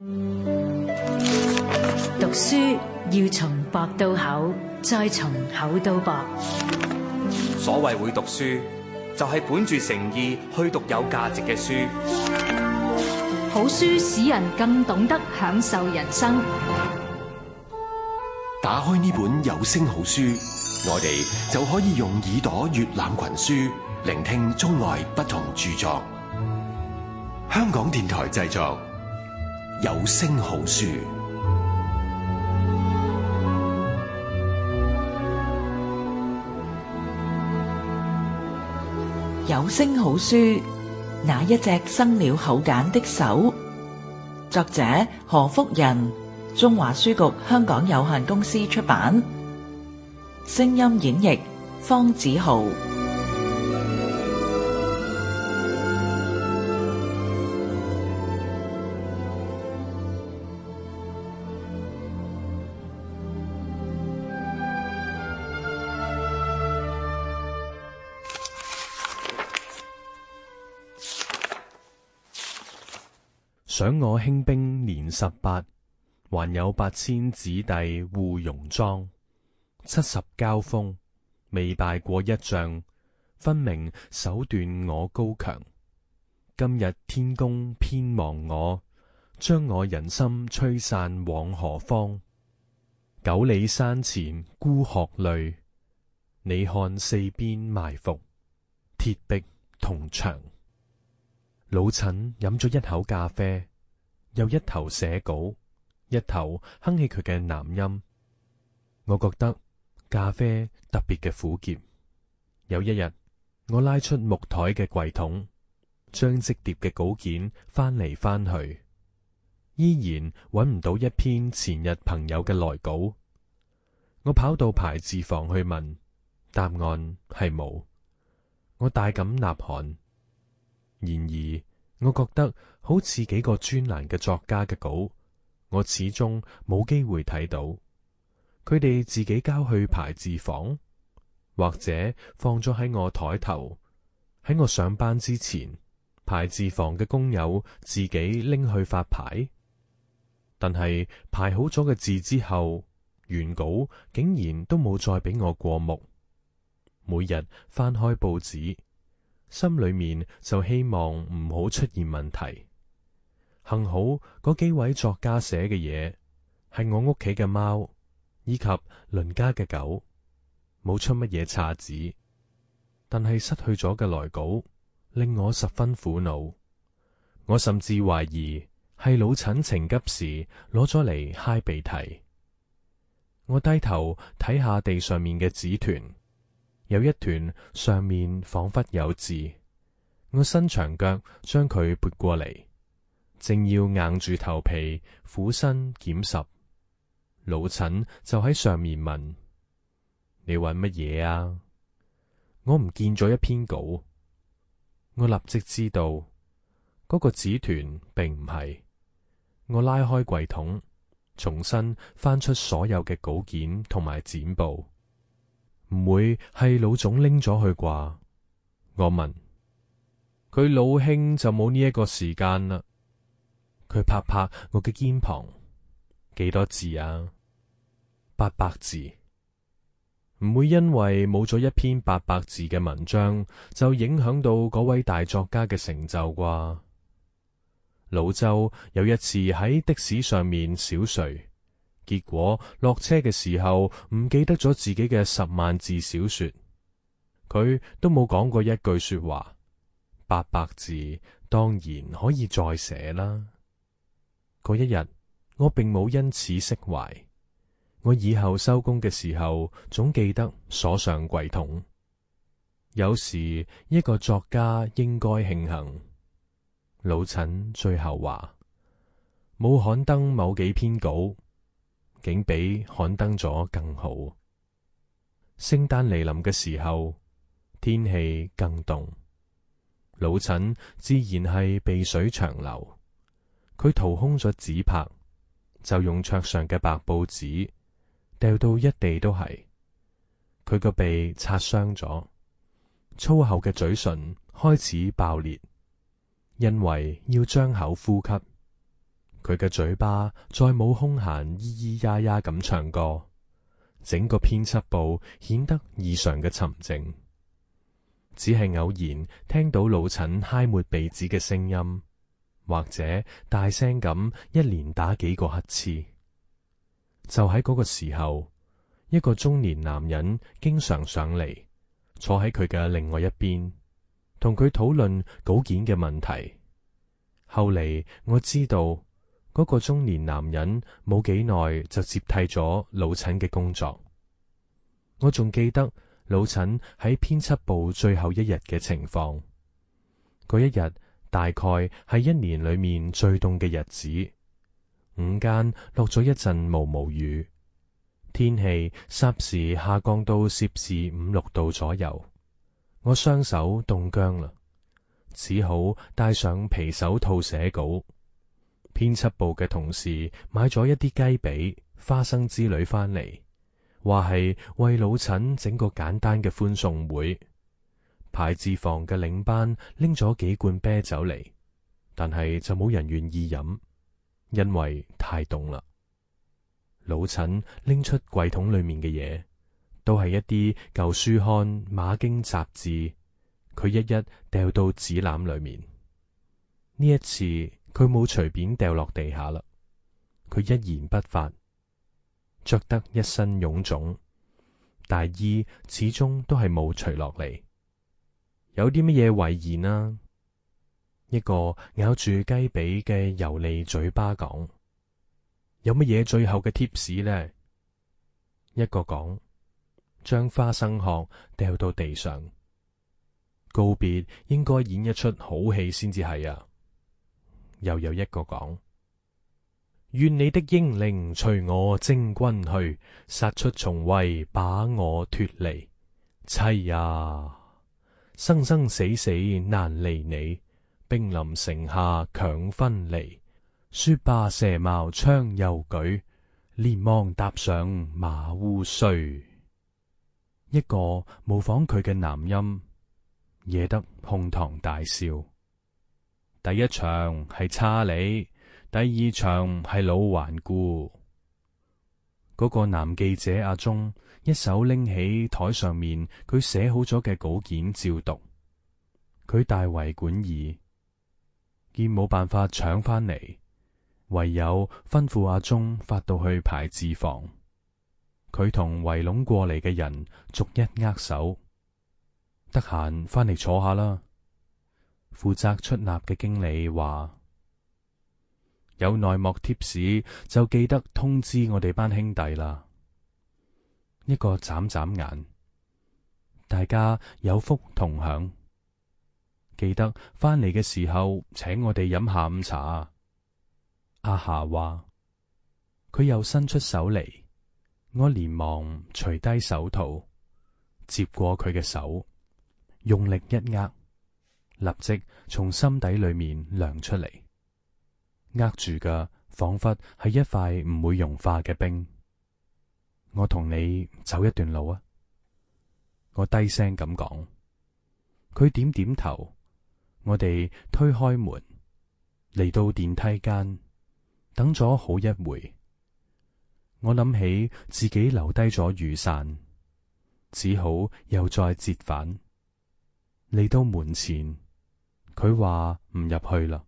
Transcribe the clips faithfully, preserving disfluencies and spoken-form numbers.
讀書要從薄到厚，再從厚到薄。所謂會讀書，就係本住誠意去讀有價值嘅書。好書使人更懂得享受人生。打開呢本有聲好書，我哋就可以用耳朵閱覽群書，聆聽中外不同著作。香港電台製作，有聲好書。有聲好書，那一隻生了口繭的手。作者何福仁，中華書局香港有限公司出版。聲音演繹方子豪。想我興兵年十八，還有八千子弟護戎莊。七十交鋒，未敗過一仗，分明手段我高強。今日天公偏忘我，將我人心吹散往何方？九里山前孤鶴淚，你看四邊埋伏，鐵壁銅牆。老陳飲咗一口咖啡，又一頭寫稿，一頭哼起佢嘅男音。我覺得咖啡特別嘅苦澀。有一日，我拉出木台嘅櫃桶，將積疊嘅稿件翻嚟翻去，依然揾唔到一篇前日朋友嘅來稿。我跑到排字房去問，答案係冇。我大感吶喊。然而，我覺得好似幾個專欄嘅作家嘅稿，我始終冇機會睇到。佢哋自己交去排字房，或者放咗喺我台頭。喺我上班之前，排字房嘅工友自己拎去發牌。但係排好咗嘅字之後，原稿竟然都冇再俾我過目。每日翻開報紙，心裏面就希望唔好出現問題。幸好嗰幾位作家寫嘅嘢係我屋企嘅貓以及鄰家嘅狗，冇出乜嘢岔子。但係失去咗嘅來稿令我十分苦惱。我甚至懷疑係老陳情急時攞咗嚟揩鼻涕。我低頭睇下地上面嘅紙團，有一團上面仿佛有字。我伸長腳將佢撥過嚟，正要硬住頭皮俯身撿拾，老陳就喺上面問：你搵乜嘢啊？我唔見咗一篇稿。我立即知道嗰個紙團並唔係。我拉開櫃桶，重新翻出所有嘅稿件同埋剪報。唔會係老總拎咗去啩？我問。佢老兄就冇呢一個時間啦。佢拍拍我嘅肩膀。幾多字啊？八百字。唔會因為冇咗一篇八百字嘅文章，就影響到嗰位大作家嘅成就啩？老周有一次喺的士上面小睡，結果落車嘅時候唔記得咗自己嘅十萬字小說。佢都冇講過一句說話。八百字當然可以再寫啦。嗰一日我並冇因此釋懷。我以後收工嘅時候總記得鎖上櫃桶。有時一個作家應該慶幸。老陳最後話，冇刊登某幾篇稿，竟比刊登咗更好。聖誕嚟臨嘅時候，天氣更凍。老陳自然係鼻水長流。佢掏空咗紙拍，就用桌上嘅白報紙掉到一地都係。佢個鼻擦傷咗，粗厚嘅嘴唇開始爆裂，因為要張口呼吸。佢嘅嘴巴再冇空閒咿咿呀呀咁唱歌，整個編輯部顯得異常嘅沉靜，只係偶然聽到老陳揩抹鼻子嘅聲音，或者大聲咁一連打幾個乞嗤。就喺嗰個時候，一個中年男人經常上嚟，坐喺佢嘅另外一邊，同佢討論稿件嘅問題。後嚟我知道，嗰個中年男人冇幾耐就接替咗老陳嘅工作。我仲記得老陳喺編輯部最後一日嘅情況。嗰一日大概係一年裏面最凍嘅日子，午間落咗一陣毛毛雨，天氣霎時下降到攝氏五六度左右。我雙手凍僵啦，只好戴上皮手套寫稿。編輯部嘅同事買咗一啲雞髀、花生之類返嚟，話係為老陳整個簡單嘅歡送會。排字房嘅領班拎咗幾罐啤酒嚟，但係就冇人願意飲，因為太凍啦。老陳拎出櫃桶裏面嘅嘢，都係一啲舊書刊、馬經雜誌，佢一一掉到紙籃裏面。呢一次佢冇隨便掉落地下啦，佢一言不發，着得一身臃腫，大衣始終都係冇除落嚟。有啲乜嘢遺言啊？一個咬住雞髀嘅油膩嘴巴講。有乜嘢最後嘅貼士呢？一個講，將花生殼掉到地上。告別應該演一出好戲先至係啊。又有一個講，願你的英靈隨我征軍去，殺出重圍把我脫離。妻呀，生生死死難離你，兵臨城下強分離。說罷蛇矛槍又舉，連忙踏上馬烏須。一個模仿佢嘅男音，惹得哄堂大笑。第一場係差你，第二場係老頑固。嗰個男記者阿忠一手拎起台上面佢寫好咗嘅稿件照讀，佢大為莞爾，見冇辦法搶返嚟，唯有吩咐阿忠發到去排字房。佢同圍攏過嚟嘅人逐一握手，得閒返嚟坐下啦。負責出納嘅經理話：有內幕貼士就記得通知我哋班兄弟啦。一個眨眨眼，大家有福同享。記得返嚟嘅時候請我哋飲下午茶。阿霞話：佢又伸出手嚟，我連忙除低手套，接過佢嘅手，用力一握。立即從心底裏面涼出嚟，握住嘅仿佛係一塊唔會融化嘅冰。我同你走一段路啊！我低聲咁講，佢點點頭。我哋推開門，嚟到電梯間，等咗好一會。我諗起自己留低咗雨傘，只好又再折返。嚟到門前，佢話唔入去啦。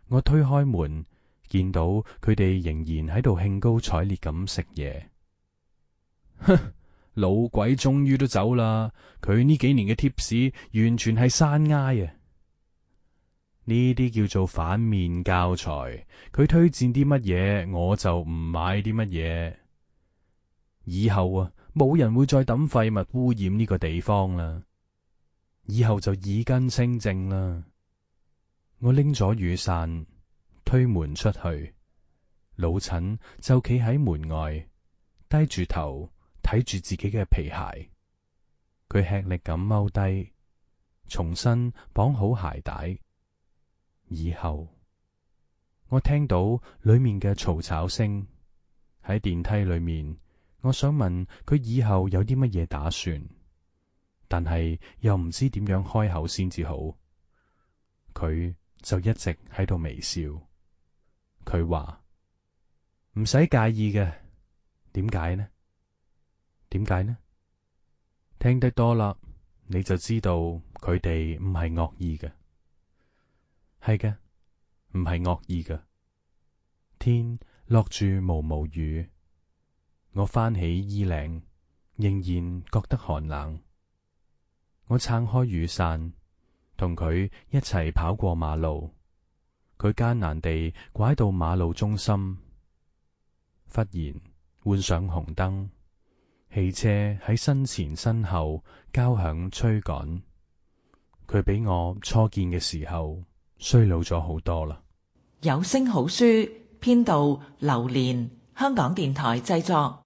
我推開門，見到佢哋仍然喺度興高采烈咁食嘢。哼，老鬼終於都走啦！佢呢幾年嘅貼士完全係山埃啊！呢啲叫做反面教材。佢推薦啲乜嘢，我就唔買啲乜嘢。以後啊，冇人會再抌廢物污染呢個地方啦。以後就耳根清淨啦。我拎咗雨傘，推門出去，老陳就企喺門外，低住頭睇住自己嘅皮鞋。佢吃力咁踎低，重新綁好鞋帶。以後我聽到裏面嘅嘈吵聲，喺電梯裏面，我想問佢以後有啲乜嘢打算，但係又唔知點樣開口先至好。佢就一直喺度微笑。佢話唔使介意嘅。點解呢？點解呢？聽得多啦，你就知道佢哋唔係惡意嘅。係嘅，唔係惡意嘅。天落住毛毛雨，我翻起衣領，仍然覺得寒冷。我撐開雨傘，同佢一齊跑過馬路。佢艱難地拐到馬路中心，忽然換上紅燈，汽車喺身前身後交響催趕。佢比我初見嘅時候衰老咗好多啦。有聲好書編導劉蓮，香港電台製作。